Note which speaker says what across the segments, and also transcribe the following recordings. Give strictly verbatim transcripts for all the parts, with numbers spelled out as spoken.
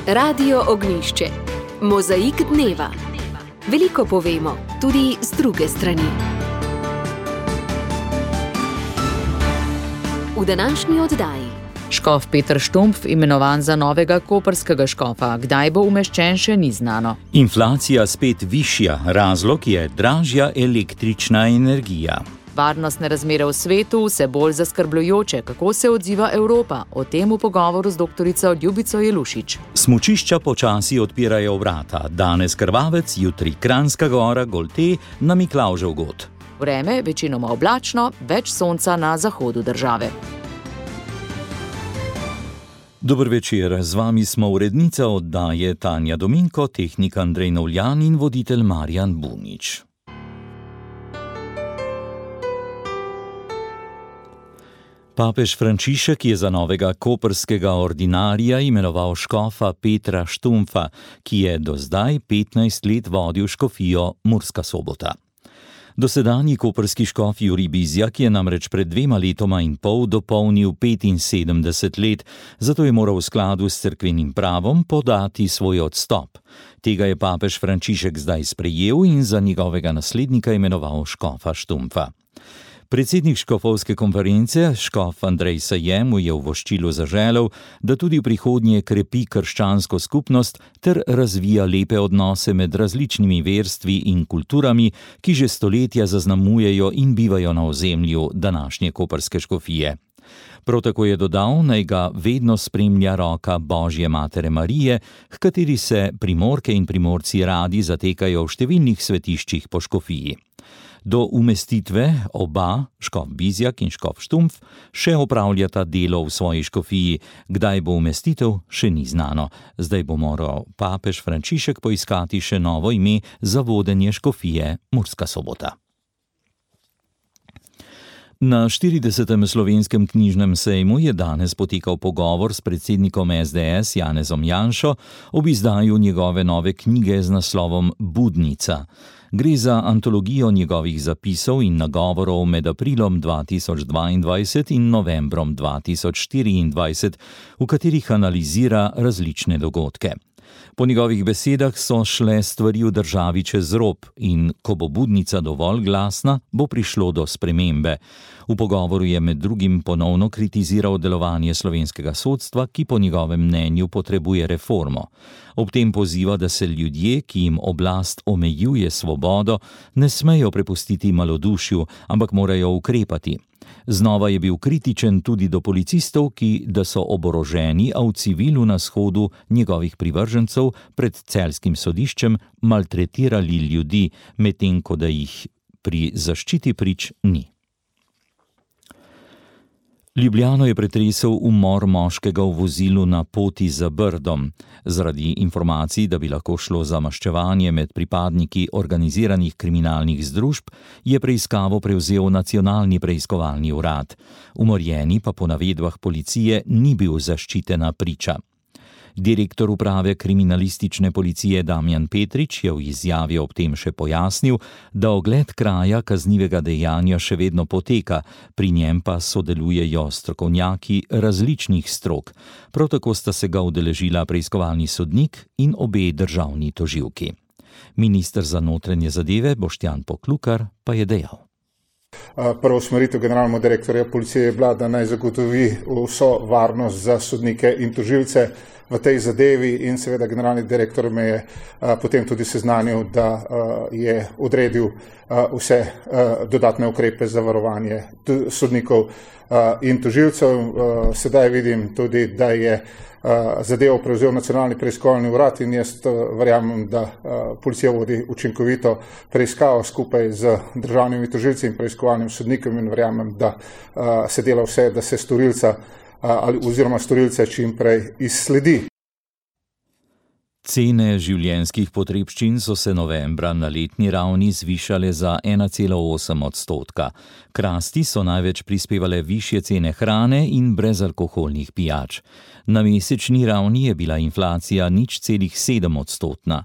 Speaker 1: Radio Ognjišče. Mozaik dneva. Veliko povemo, tudi z druge strani. V današnji oddaji.
Speaker 2: Škof Peter Štumpf imenovan za novega koprskega škofa. Kdaj bo umeščen, še ni znano.
Speaker 3: Inflacija spet višja, razlog je dražja električna energija.
Speaker 2: Varnostne razmere v svetu vse bolj zaskrbljujoče. Kako se odziva Evropa? O tem v pogovoru z doktorico Ljubico Jelušič.
Speaker 3: Smučišča počasi odpirajo vrata. Danes Krvavec, jutri Kranjska Gora, Golte, na Miklavžev god.
Speaker 2: Vreme večinoma oblačno, več sonca na zahodu države.
Speaker 3: Dober večer, z vami smo urednica oddaje Tanja Dominko, tehnik Andrej Novljan in voditelj Marjan Bunič. Papež Frančišek je za novega koprskega ordinarija imenoval škofa Petra Štumpfa, ki je do zdaj petnajst let vodil škofijo Murska Sobota. Dosedanji koprski škof Jurij Bizjak je namreč pred dvema letoma in pol dopolnil petinsedemdeset let, zato je moral v skladu s cerkvenim pravom podati svoj odstop. Tega je papež Frančišek zdaj sprejel in za njegovega naslednika imenoval škofa Štumpfa. Predsednik škofovske konference, škof Andrej Sajem, mu je v voščilu zaželel, da tudi v prihodnje krepi krščansko skupnost ter razvija lepe odnose med različnimi verstvi in kulturami, ki že stoletja zaznamujejo in bivajo na ozemlju današnje koprske škofije. Prav tako je dodal, naj ga vedno spremlja roka Božje matere Marije, h kateri se Primorke in Primorci radi zatekajo v številnih svetiščih po škofiji. Do umestitve oba, škof Bizjak in škof Štumpf, še opravljata delo v svoji škofiji. Kdaj bo umestitev, še ni znano. Zdaj bo moral papež Frančišek poiskati še novo ime za vodenje škofije Murska Sobota. Na štiridesetem slovenskem knjižnem sejmu je danes potekal pogovor s predsednikom es de es Janezom Janšo ob izdaju njegove nove knjige z naslovom Budnica. Gre za antologijo njegovih zapisov in nagovorov med aprilom dva tisoč dvaindvajset in novembrom dva tisoč štiriindvajset, v katerih analizira različne dogodke. Po njegovih besedah so šle stvari v državi čez rob in ko bo budnica dovolj glasna, bo prišlo do spremembe. V pogovoru je med drugim ponovno kritiziral delovanje slovenskega sodstva, ki po njegovem mnenju potrebuje reformo. Ob tem poziva, da se ljudje, ki jim oblast omejuje svobodo, ne smejo prepustiti malodušju, ampak morajo ukrepati. Znova je bil kritičen tudi do policistov, ki da so oboroženi, a v civilu na shodu njegovih privržencev pred celjskim sodiščem maltretirali ljudi, medtem ko da jih pri zaščiti prič ni. Ljubljano je pretresel umor moškega v vozilu na poti za Brdom. Zaradi informacij, da bi lahko šlo za maščevanje med pripadniki organiziranih kriminalnih združb, je preiskavo prevzel Nacionalni preiskovalni urad. Umorjeni pa po navedbah policije ni bil zaščitena priča. Direktor uprave kriminalistične policije Damjan Petrič je v izjavi ob tem še pojasnil, da ogled kraja kaznivega dejanja še vedno poteka, pri njem pa sodelujejo strokovnjaki različnih strok. Prav tako sta se ga udeležila preiskovalni sodnik in obe državni tožilki. Minister za notranje zadeve Boštjan Poklukar pa je dejal.
Speaker 4: Prva usmeritev generalnega direktorja policije je bila, da naj zagotovi vso varnost za sodnike in tožilce v tej zadevi in seveda generalni direktor me je a, potem tudi seznanil, da a, je odredil a, vse a, dodatne ukrepe za varovanje t- sodnikov a, in tožilcev. A, sedaj vidim tudi, da je a, zadevo prevzel Nacionalni preiskovalni urad in jaz a, verjamem, da a, policija vodi učinkovito preiskavo skupaj z državnimi tožilci in preiskovalnim sodnikom in verjamem, da a, se dela vse, da se storilca ali oziroma storilce čim prej izsledi.
Speaker 3: Cene življenjskih potrebščin so se novembra na letni ravni zvišale za ena cela osem odstotka. K rasti so največ prispevale višje cene hrane in brezalkoholnih pijač. Na mesečni ravni je bila inflacija nič celih sedem odstotna.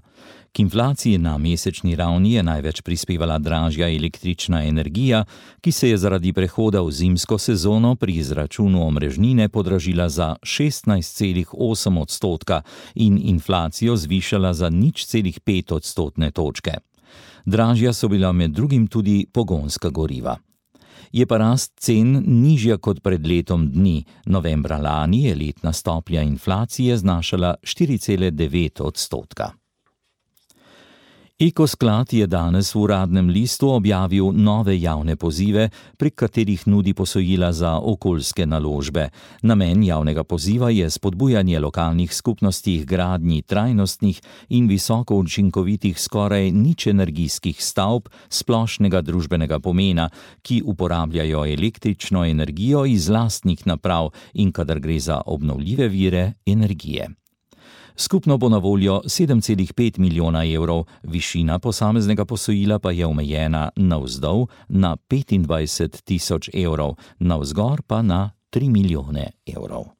Speaker 3: K inflaciji na mesečni ravni je največ prispevala dražja električna energija, ki se je zaradi prehoda v zimsko sezono pri izračunu omrežnine podražila za šestnajst celih osem odstotka in inflacijo zvišala za nič celih pet odstotne točke. Dražja so bila med drugim tudi pogonska goriva. Je pa rast cen nižja kot pred letom dni. Novembra lani je letna stopnja inflacije znašala štiri cele devet odstotka. Ekosklad je danes v Uradnem listu objavil nove javne pozive, prek katerih nudi posojila za okoljske naložbe. Namen javnega poziva je spodbujanje lokalnih skupnosti k gradnji trajnostnih in visoko učinkovitih skoraj nič energijskih stavb splošnega družbenega pomena, ki uporabljajo električno energijo iz lastnih naprav in kadar gre za obnovljive vire energije. Skupno bo na voljo sedem celih pet milijona evrov, višina posameznega posojila pa je omejena navzdol na petindvajset tisoč evrov, navzgor pa na tri milijone evrov.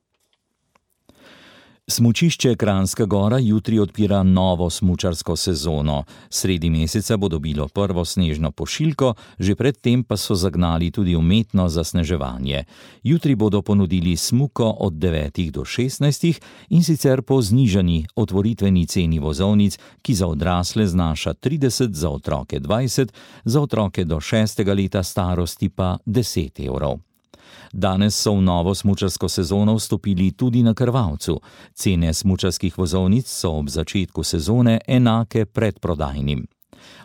Speaker 3: Smučišče Kranjska Gora jutri odpira novo smučarsko sezono. Sredi meseca bo dobilo prvo snežno pošiljko, že predtem pa so zagnali tudi umetno zasneževanje. Jutri bodo ponudili smuko od devetih do šestnajstih in sicer po znižani otvoritveni ceni vozovnic, ki za odrasle znaša trideset, za otroke dvajset, za otroke do šestega leta starosti pa deset evrov. Danes so v novo smučarsko sezono vstopili tudi na Krvavcu. Cene smučarskih vozovnic so ob začetku sezone enake predprodajnim.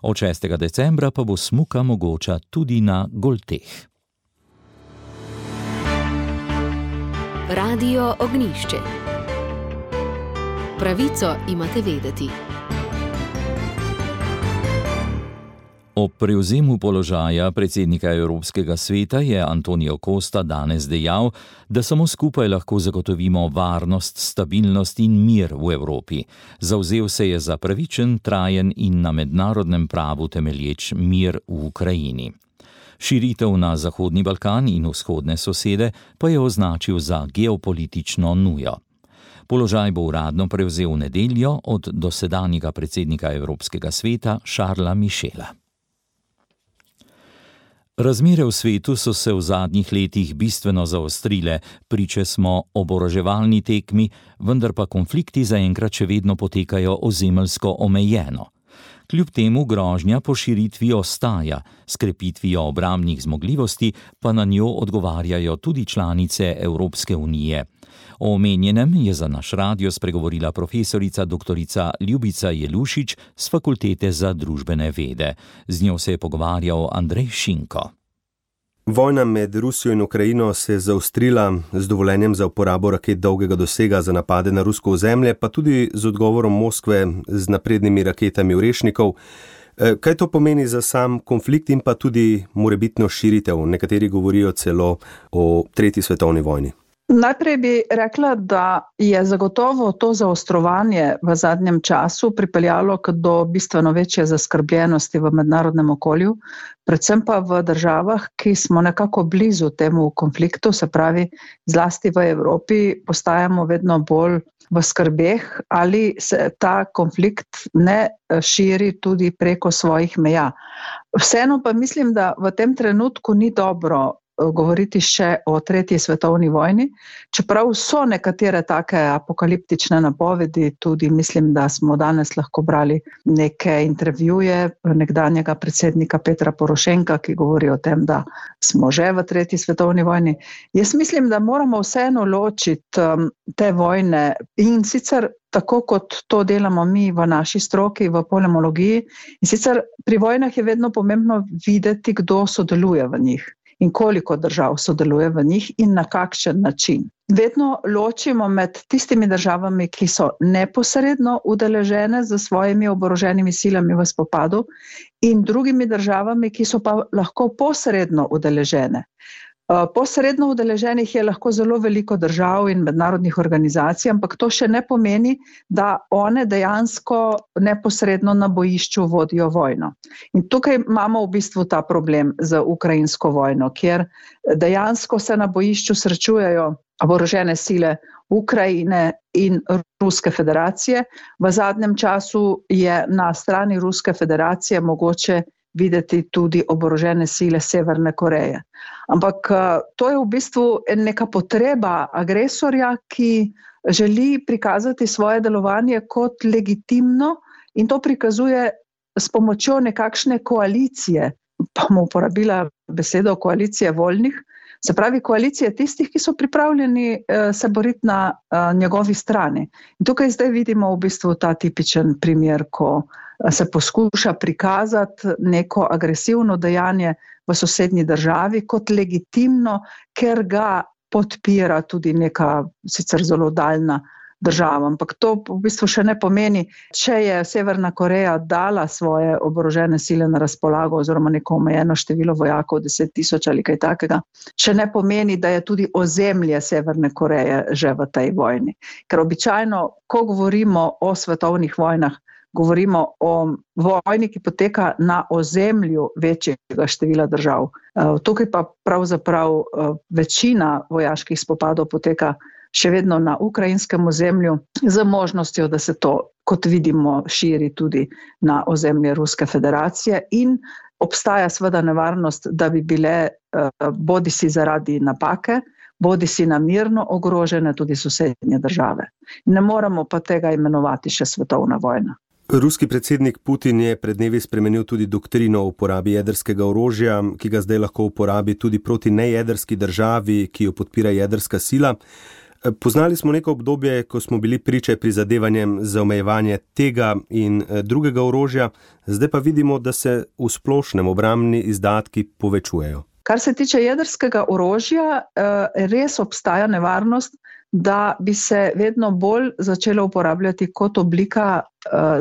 Speaker 3: Od šestega decembra pa bo smuka mogoča tudi na Golteh.
Speaker 1: Radio Ognjišče. Pravico imate vedeti.
Speaker 3: Ob prevzemu položaja predsednika Evropskega sveta je Antonio Costa danes dejal, da samo skupaj lahko zagotovimo varnost, stabilnost in mir v Evropi. Zavzel se je za pravičen, trajen in na mednarodnem pravu temelječ mir v Ukrajini. Širitev na Zahodni Balkan in vzhodne sosede pa je označil za geopolitično nujo. Položaj bo uradno prevzel v nedeljo od dosedanjega predsednika Evropskega sveta Charlesa Michela. Razmere v svetu so se v zadnjih letih bistveno zaostrile, priče smo oboroževalni tekmi, vendar pa konflikti zaenkrat še vedno potekajo ozemeljsko omejeno. Kljub temu grožnja po širitvi ostaja, s krepitvijo obrambnih zmogljivosti pa na njo odgovarjajo tudi članice Evropske unije. O omenjenem je za naš radio spregovorila profesorica doktorica Ljubica Jelušič z Fakultete za družbene vede. Z njo se je pogovarjal Andrej Šinko.
Speaker 5: Vojna med Rusijo in Ukrajino se je zaostrila z dovoljenjem za uporabo raket dolgega dosega za napade na rusko ozemlje, pa tudi z odgovorom Moskve z naprednimi raketami Orešnikov. Kaj to pomeni za sam konflikt in pa tudi morebitno širitev? Nekateri govorijo celo o tretji svetovni vojni.
Speaker 6: Najprej bi rekla, da je zagotovo to zaostrovanje v zadnjem času pripeljalo do bistveno večje zaskrbljenosti v mednarodnem okolju, predvsem pa v državah, ki smo nekako blizu temu konfliktu, se pravi zlasti v Evropi, postajamo vedno bolj v skrbeh, ali se ta konflikt ne širi tudi preko svojih meja. Vseeno pa mislim, da v tem trenutku ni dobro govoriti še o tretji svetovni vojni, čeprav so nekatere take apokaliptične napovedi, tudi mislim, da smo danes lahko brali neke intervjuje nekdanjega predsednika Petra Porošenka, ki govori o tem, da smo že v tretji svetovni vojni. Jaz mislim, da moramo vseeno ločiti te vojne in sicer tako, kot to delamo mi v naši stroki, v polemologiji. In sicer pri vojnah je vedno pomembno videti, kdo sodeluje v njih in koliko držav sodeluje v njih in na kakšen način. Vedno ločimo med tistimi državami, ki so neposredno udeležene z svojimi oboroženimi silami v spopadu in drugimi državami, ki so pa lahko posredno udeležene. Posredno udeleženih je lahko zelo veliko držav in mednarodnih organizacij, ampak to še ne pomeni, da one dejansko neposredno na bojišču vodijo vojno. In tukaj imamo v bistvu ta problem z ukrajinsko vojno, kjer dejansko se na bojišču srečujejo oborožene sile Ukrajine in Ruske federacije. V zadnjem času je na strani Ruske federacije mogoče videti tudi oborožene sile Severne Koreje. Ampak to je v bistvu neka potreba agresorja, ki želi prikazati svoje delovanje kot legitimno in to prikazuje s pomočjo nekakšne koalicije, pa bomo uporabila besedo koalicije voljnih, se pravi koalicije tistih, ki so pripravljeni se boriti na njegovi strani. In tukaj zdaj vidimo v bistvu ta tipičen primer, ko se poskuša prikazati neko agresivno dejanje v sosednji državi kot legitimno, ker ga podpira tudi neka sicer zelo daljna država. Ampak to v bistvu še ne pomeni, če je Severna Koreja dala svoje oborožene sile na razpolago oziroma neko omejeno število vojakov, deset tisoč ali kaj takega, še ne pomeni, da je tudi ozemlje Severne Koreje že v tej vojni. Ker običajno, ko govorimo o svetovnih vojnah, govorimo o vojni, ki poteka na ozemlju večjega števila držav. Tukaj pa pravzaprav večina vojaških spopadov poteka še vedno na ukrajinskem ozemlju, z možnostjo, da se to, kot vidimo, širi tudi na ozemlje Ruske federacije in obstaja seveda nevarnost, da bi bile bodisi zaradi napake, bodisi namerno ogrožene tudi sosednje države. Ne moremo pa tega imenovati še svetovna vojna.
Speaker 5: Ruski predsednik Putin je pred dnevi spremenil tudi doktrino o uporabi jedrskega orožja, ki ga zdaj lahko uporabi tudi proti nejedrski državi, ki jo podpira jedrska sila. Poznali smo neko obdobje, ko smo bili priče prizadevanjem za omejevanje tega in drugega orožja, zdaj pa vidimo, da se v splošnem obrambni izdatki povečujejo.
Speaker 6: Kar se tiče jedrskega orožja, res obstaja nevarnost, da bi se vedno bolj začelo uporabljati kot oblika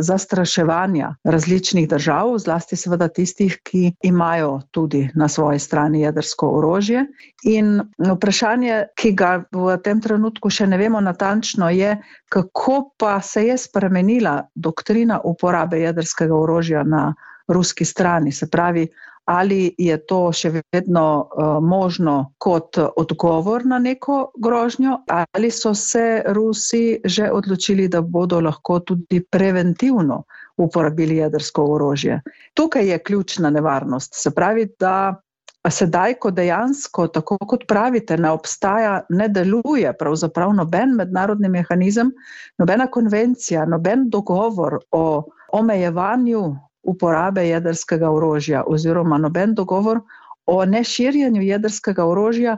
Speaker 6: zastraševanja različnih držav, zlasti seveda tistih, ki imajo tudi na svoji strani jedrsko orožje. In vprašanje, ki ga v tem trenutku še ne vemo natančno, je, kako pa se je spremenila doktrina uporabe jedrskega orožja na ruski strani. Se pravi, ali je to še vedno uh, možno kot odgovor na neko grožnjo, ali so se Rusi že odločili, da bodo lahko tudi preventivno uporabili jedrsko orožje. Tukaj je ključna nevarnost. Se pravi, da sedaj, ko dejansko, tako kot pravite, ne obstaja, ne deluje pravzaprav noben mednarodni mehanizem, nobena konvencija, noben dogovor o omejevanju uporabe jedrskega orožja oziroma noben dogovor o neširjenju jedrskega orožja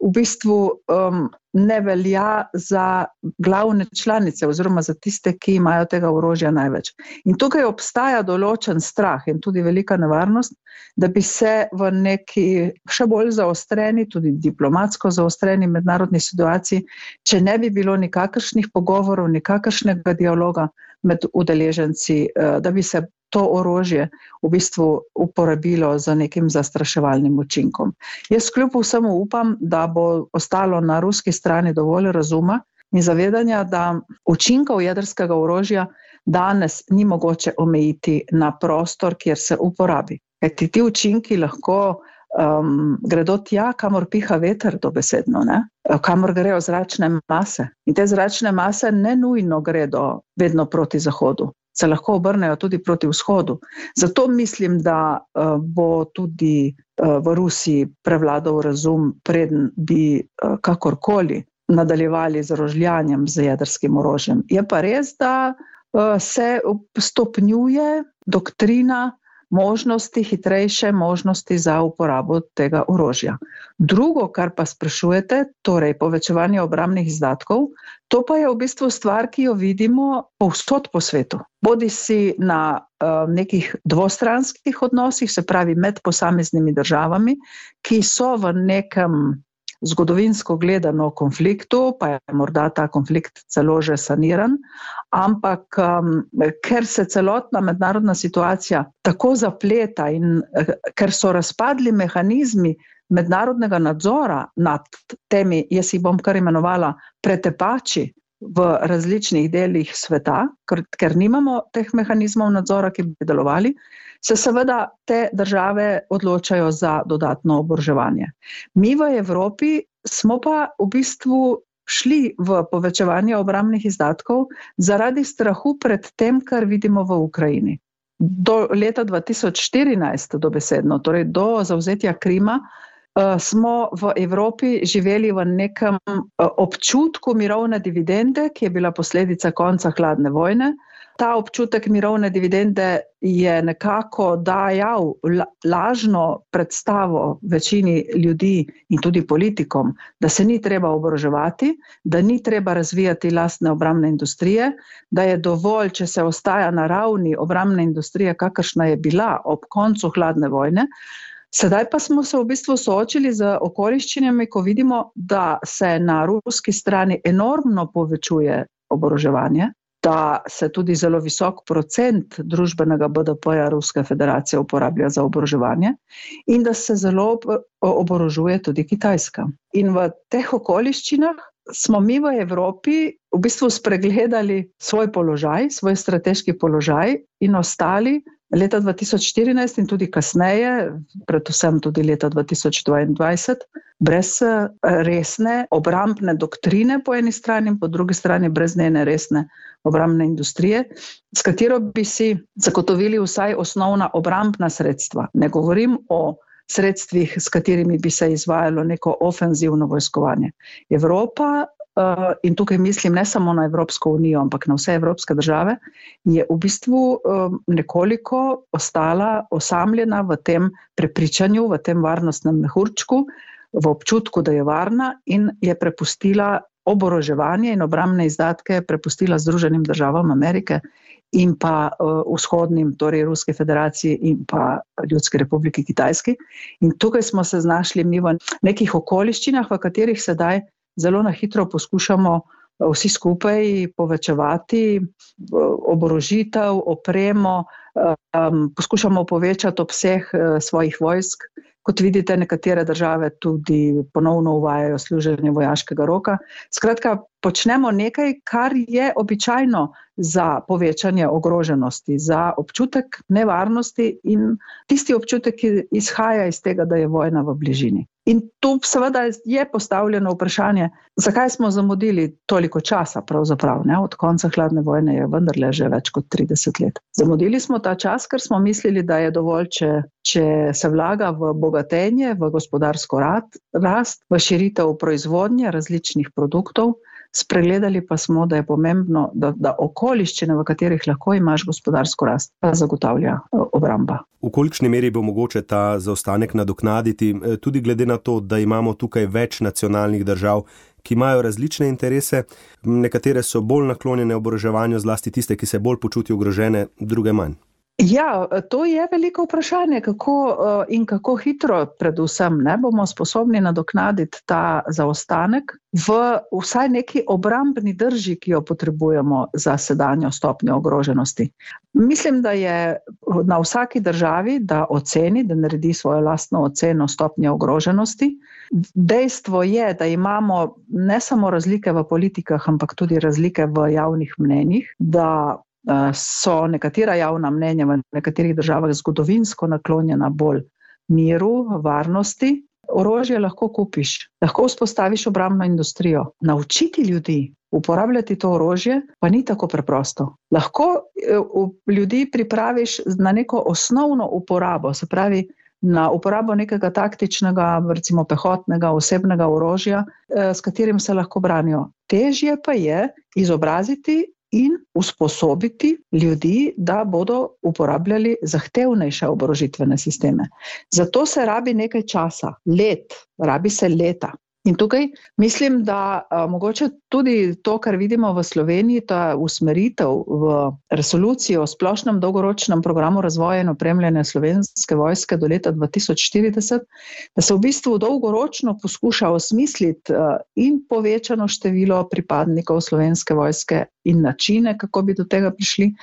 Speaker 6: v bistvu um, ne velja za glavne članice oziroma za tiste, ki imajo tega orožja največ. In tukaj obstaja določen strah in tudi velika nevarnost, da bi se v neki še bolj zaostreni, tudi diplomatsko zaostreni mednarodni situaciji, če ne bi bilo nikakršnih pogovorov, nikakršnega dialoga med udeleženci, da bi se to orožje v bistvu uporabilo za nekim zastraševalnim učinkom. Jaz kljub vsemu upam, da bo ostalo na ruski strani dovolj razuma in zavedanja, da učinkov jedrskega orožja danes ni mogoče omejiti na prostor, kjer se uporabi. Kajti ti učinki lahko um, gredo tja, kamor piha veter, dobesedno, ne? Kamor grejo zračne mase. In te zračne mase ne nujno gredo vedno proti zahodu, se lahko obrnejo tudi proti vzhodu. Zato mislim, da uh, bo tudi uh, v Rusiji prevladal razum, preden bi uh, kakorkoli nadaljevali z rožljanjem z jedrskim orožjem. Je pa res, da uh, se stopnjuje doktrina možnosti, hitrejše možnosti za uporabo tega orožja. Drugo, kar pa sprašujete, torej povečevanje obrambnih izdatkov, to pa je v bistvu stvar, ki jo vidimo povsod po svetu. Bodi si na uh, nekih dvostranskih odnosih, se pravi med posameznimi državami, ki so v nekem zgodovinsko gledano konfliktu, pa je morda ta konflikt celo že saniran, ampak um, ker se celotna mednarodna situacija tako zapleta in uh, ker so razpadli mehanizmi mednarodnega nadzora nad temi, jaz jih bom kar imenovala pretepači v različnih delih sveta, ker, ker nimamo teh mehanizmov nadzora, ki bi delovali, se seveda te države odločajo za dodatno oboroževanje. Mi v Evropi smo pa v bistvu šli v povečevanje obrambnih izdatkov zaradi strahu pred tem, kar vidimo v Ukrajini. Do leta dva tisoč štirinajst dobesedno, torej do zavzetja Krima, smo v Evropi živeli v nekem občutku mirovne dividende, ki je bila posledica konca hladne vojne. Ta občutek mirovne dividende je nekako dajal lažno predstavo večini ljudi in tudi politikom, da se ni treba oboroževati, da ni treba razvijati lastne obrambne industrije, da je dovolj, če se ostaja na ravni obrambne industrije, kakršna je bila ob koncu hladne vojne. Sedaj pa smo se v bistvu soočili z okoliščinami, ko vidimo, da se na ruski strani enormno povečuje oboroževanje, da se tudi zelo visok procent družbenega B D P-ja Ruske federacije uporablja za oboroževanje in da se zelo oborožuje tudi Kitajska. In v teh okoliščinah smo mi v Evropi v bistvu spregledali svoj položaj, svoj strateški položaj in ostali leta dva tisoč štirinajst in tudi kasneje, predvsem tudi leta dva tisoč dvaindvajset, brez resne obrambne doktrine po eni strani in po drugi strani brez njene resne obrambne industrije, s katero bi si zagotovili vsaj osnovna obrambna sredstva. Ne govorim o sredstvih, s katerimi bi se izvajalo neko ofenzivno vojskovanje. Evropa, in tukaj mislim ne samo na Evropsko unijo, ampak na vse evropske države, je v bistvu nekoliko ostala osamljena v tem prepričanju, v tem varnostnem mehurčku, v občutku, da je varna in je prepustila oboroževanje in obrambne izdatke prepustila Združenim državam Amerike in pa uh, vzhodnim, torej Ruske federaciji in pa Ljudske republike Kitajski. In tukaj smo se znašli mi v nekih okoliščinah, v katerih sedaj zelo na hitro poskušamo vsi skupaj povečevati oborožitev, opremo, um, poskušamo povečati obseg uh, svojih vojsk. Kot vidite, nekatere države tudi ponovno uvajajo služenje vojaškega roka. Skratka, počnemo nekaj, kar je običajno za povečanje ogroženosti, za občutek nevarnosti in tisti občutek, ki izhaja iz tega, da je vojna v bližini. In tu seveda je postavljeno vprašanje, zakaj smo zamudili toliko časa pravzaprav, ne? Od konca hladne vojne je vendarle že več kot trideset let. Zamudili smo ta čas, ker smo mislili, da je dovolj, če, če se vlaga v bogatenje, v gospodarsko rast, v širitev proizvodnje različnih produktov. Spregledali pa smo, da je pomembno, da, da okoliščine, v katerih lahko imaš gospodarsko rast, pa zagotavlja obramba.
Speaker 5: V kolikšni meri bo mogoče ta zaostanek nadoknaditi, tudi glede na to, da imamo tukaj več nacionalnih držav, ki imajo različne interese, nekatere so bolj naklonjene oboroževanju, zlasti tiste, ki se bolj počutijo ogrožene, druge manj.
Speaker 6: Ja, to je veliko vprašanje, kako in kako hitro predvsem ne bomo sposobni nadoknaditi ta zaostanek v vsaj neki obrambni drži, ki jo potrebujemo za sedanjo stopnjo ogroženosti. Mislim, da je na vsaki državi, da oceni, da naredi svojo lastno oceno stopnje ogroženosti. Dejstvo je, da imamo ne samo razlike v politikah, ampak tudi razlike v javnih mnenjih, da so nekatera javna mnenja v nekaterih državah zgodovinsko naklonjena bolj miru, varnosti. Orožje lahko kupiš, lahko vzpostaviš obrambno industrijo. Naučiti ljudi uporabljati to orožje pa ni tako preprosto. Lahko ljudi pripraviš na neko osnovno uporabo, se pravi na uporabo nekega taktičnega, recimo pehotnega, osebnega orožja, s katerim se lahko branijo. Težje pa je izobraziti in usposobiti ljudi, da bodo uporabljali zahtevnejše oborožitvene sisteme. Zato se rabi nekaj časa, let, rabi se leta. In tukaj mislim, da a, mogoče tudi to, kar vidimo v Sloveniji, ta usmeritev v resolucijo o splošnem dolgoročnem programu razvoja in opremljanja Slovenske vojske do leta dva tisoč štirideset, da se v bistvu dolgoročno poskuša osmisliti a, in povečano število pripadnikov Slovenske vojske in načine, kako bi do tega prišli.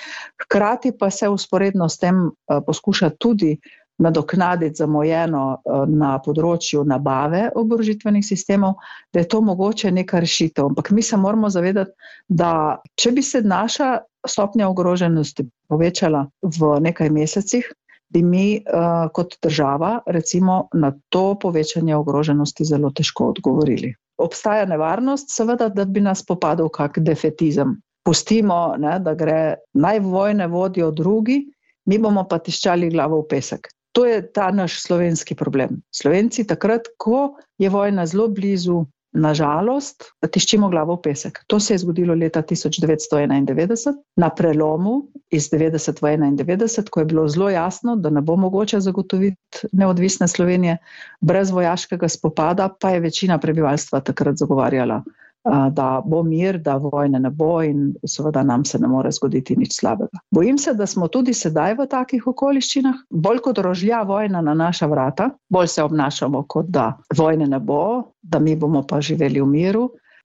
Speaker 6: Hkrati pa se usporedno s tem a, poskuša tudi nadoknaditi zamujeno na področju nabave oborožitvenih sistemov, da je to mogoče neka rešitev. Ampak mi se moramo zavedati, da če bi se naša stopnja ogroženosti povečala v nekaj mesecih, bi mi uh, kot država recimo na to povečanje ogroženosti zelo težko odgovorili. Obstaja nevarnost, seveda, da bi nas popadal kak defetizem. Pustimo, ne, da gre naj vojne vodijo drugi, mi bomo pa tiščali glavo v pesek. To je ta naš slovenski problem. Slovenci takrat, ko je vojna zelo blizu, nažalost, tiščimo glavo v pesek. To se je zgodilo leta tisoč devetsto enaindevetdeset, na prelomu iz devetdeset v enaindevetdeset, ko je bilo zelo jasno, da ne bo mogoče zagotoviti neodvisne Slovenije brez vojaškega spopada, pa je večina prebivalstva takrat zagovarjala, da bo mir, da vojne ne bo in seveda nam se ne more zgoditi nič slabega. Bojim se, da smo tudi sedaj v takih okoliščinah, bolj kot rožlja vojna na naša vrata, bolj se obnašamo, kot da vojne ne bo, da mi bomo pa živeli v miru,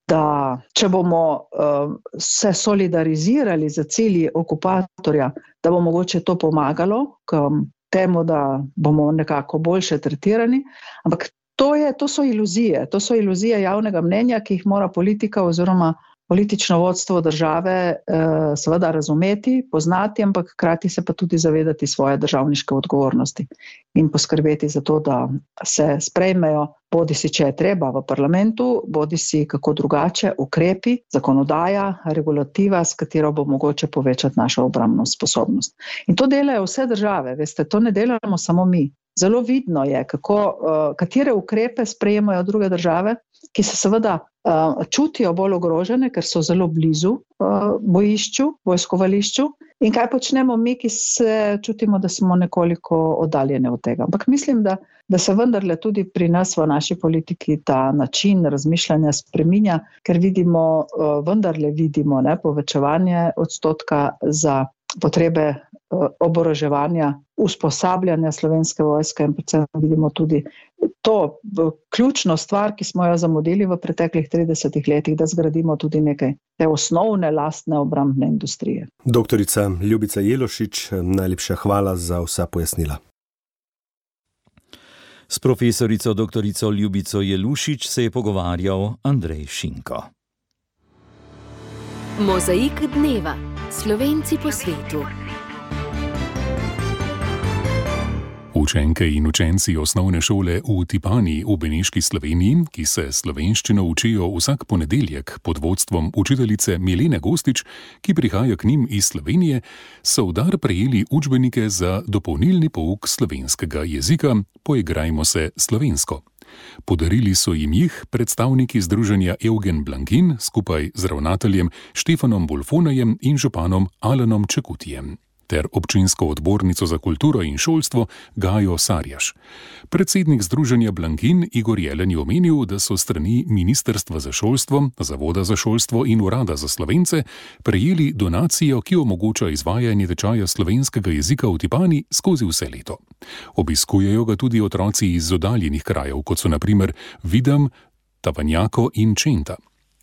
Speaker 6: da če bomo uh, se solidarizirali za cilji okupatorja, da bo mogoče to pomagalo k temu, da bomo nekako boljše tretirani, ampak To, je, to so iluzije, to so iluzije javnega mnenja, ki jih mora politika oziroma politično vodstvo države eh, seveda razumeti, poznati, ampak hkrati se pa tudi zavedati svoje državniške odgovornosti in poskrbeti za to, da se sprejmejo, bodi si če je treba v parlamentu, bodi si kako drugače, ukrepi, zakonodaja, regulativa, s katero bo mogoče povečati našo obrambno sposobnost. In to delajo vse države, veste, to ne delamo samo mi. Zelo vidno je, kako, katere ukrepe sprejemajo druge države, ki se seveda čutijo bolj ogrožene, ker so zelo blizu bojišču, vojskovališču, in kaj počnemo mi, ki se čutimo, da smo nekoliko oddaljeni od tega. Ampak mislim, da, da se vendarle tudi pri nas v naši politiki ta način razmišljanja spreminja, ker vidimo, vendarle vidimo ne, povečevanje odstotka za potrebe oboroževanja, usposabljanja Slovenske vojske in predvsem vidimo tudi to ključno stvar, ki smo jo zamudili v preteklih tridesetih letih, da zgradimo tudi nekaj te osnovne lastne obrambne industrije.
Speaker 5: Doktorica Ljubica Jelušič, najlepša hvala za vsa pojasnila.
Speaker 3: S profesorico doktorico Ljubico Jelušič se je pogovarjal Andrej Šinko.
Speaker 1: Mozaik dneva. Slovenci po svetu.
Speaker 7: Učenke in učenci osnovne šole v Tipani v Beneški Sloveniji, ki se slovenščino učijo vsak ponedeljek pod vodstvom učiteljice Milene Gostič, ki prihaja k njim iz Slovenije, so v dar prejeli učbenike za dopolnilni pouk slovenskega jezika Poigrajmo se slovensko. Podarili so jim jih predstavniki združenja Eugen Blankin skupaj z ravnateljem Štefanom Bolfonajem in županom Alanom Čekutijem ter občinsko odbornico za kulturo in šolstvo Gajo Sarjaš. Predsednik združenja Blankin Igor Jelen je omenil, da so strani Ministrstva za šolstvo, Zavoda za šolstvo in Urada za Slovence prejeli donacijo, ki omogoča izvajanje tečaja slovenskega jezika v Tipani skozi vse leto. Obiskujejo ga tudi otroci iz oddaljenih krajev, kot so na primer Videm, Tavanjako in Čenta.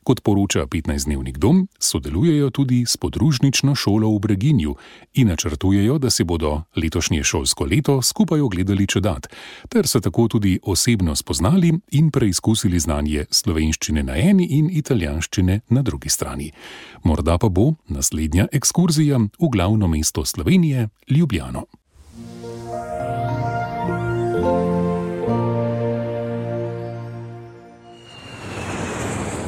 Speaker 7: Kot poroča petnajstdnevnik Dom, sodelujejo tudi s podružnično šolo v Breginju in načrtujejo, da se bodo letošnje šolsko leto skupaj ogledali čedat, ter se tako tudi osebno spoznali in preizkusili znanje slovenščine na eni in italijanščine na drugi strani. Morda pa bo naslednja ekskurzija v glavno mesto Slovenije, Ljubljano.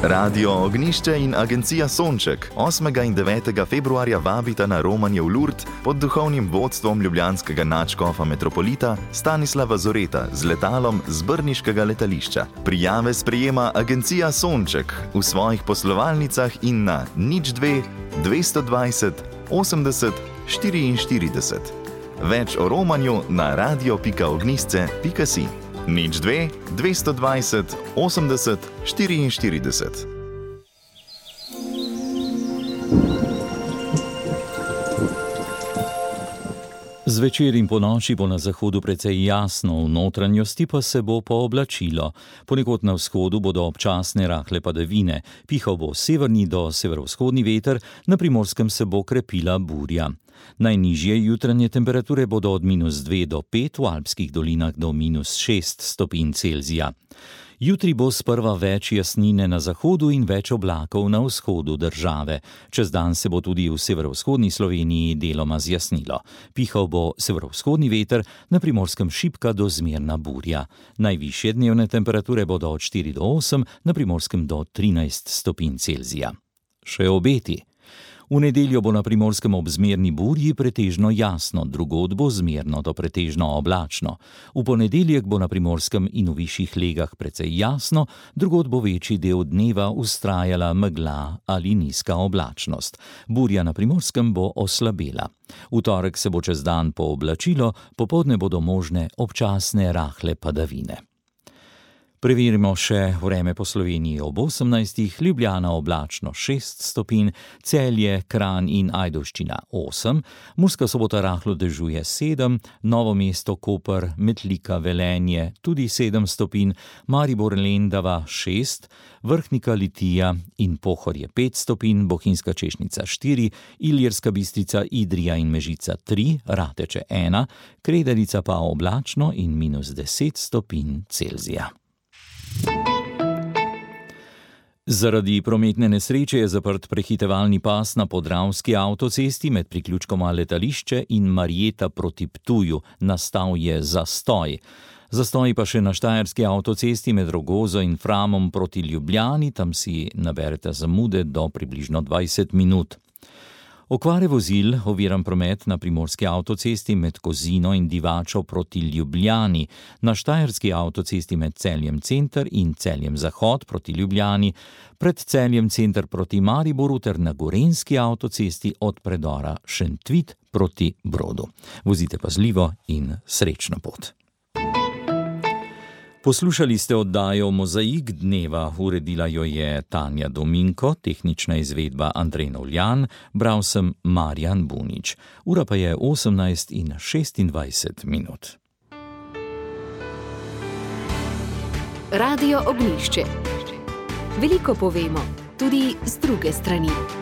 Speaker 8: Radio Ognjišče in agencija Sonček osmega in devetega februarja vabita na romanje v Lurd pod duhovnim vodstvom ljubljanskega nadškofa metropolita Stanislava Zoreta z letalom z brniškega letališča. Prijave sprejema agencija Sonček v svojih poslovalnicah in na nič dve dvesto dvajset osemdeset štiriinštirideset. Več o romanju na radio pika ognjišče pika si. nič dve dvesto dvajset osemdeset štiriinštirideset.
Speaker 3: Zvečer in ponoči bo na zahodu precej jasno, v notranjosti pa se bo pooblačilo. Ponekod na vzhodu bodo občasne rahle padavine, pihal bo severni do severovzhodni veter, na Primorskem se bo krepila burja. Najnižje jutranje temperature bodo od minus dve do pet, v alpskih dolinah do minus šest stopinj Celzija. Jutri bo sprva več jasnine na zahodu in več oblakov na vzhodu države. Čez dan se bo tudi v severovzhodni Sloveniji deloma zjasnilo. Pihal bo severovzhodni veter, na Primorskem šibka do zmerna burja. Najvišje dnevne temperature bodo od štiri do osem, na Primorskem do trinajst stopinj Celzija. Še obeti. V nedeljo bo na Primorskem ob zmerni burji pretežno jasno, drugod bo zmerno do pretežno oblačno. V ponedeljek bo na Primorskem in v višjih legah precej jasno, drugod bo večji del dneva vztrajala megla ali nizka oblačnost. Burja na Primorskem bo oslabela. V torek se bo čez dan pooblačilo, popoldne bodo možne občasne rahle padavine. Preverimo še vreme po Sloveniji ob osemnajstih, Ljubljana oblačno šest stopinj, Celje, Kranj in Ajdovščina osem, Murska Sobota rahlo dežuje sedem, Novo mesto, Koper, Metlika, Velenje tudi sedem stopinj, Maribor, Lendava šest, Vrhnika, Litija in Pohorje pet stopinj, Bohinjska Češnica štiri, Ilirska Bistrica, Idrija in Mežica tri, Rateče ena, Kredarica pa oblačno in minus deset stopinj Celzija. Zaradi prometne nesreče je zaprt prehitevalni pas na Podravski avtocesti med priključkoma Letališče in Marjeta proti Ptuju. Nastal je zastoj. Zastoj pa še na Štajerski avtocesti med Rogozo in Framom proti Ljubljani, tam si naberete zamude do približno dvajset minut. Okvare vozil, oviran promet na Primorski avtocesti med Kozino in Divačo proti Ljubljani, na Štajerski avtocesti med Celjem Center in Celjem Zahod proti Ljubljani, pred Celjem Center proti Mariboru ter na Gorenjski avtocesti od predora Šentvit proti Brodu. Vozite pazljivo in srečno pot. Poslušali ste oddajo Mozaik dneva, uredila jo je Tanja Dominko, tehnična izvedba Andrej Novljan, bral sem Marjan Bunič. Ura pa je osemnajst in šestindvajset minut.
Speaker 1: Radio Ognjišče. Veliko povemo, tudi z druge strani.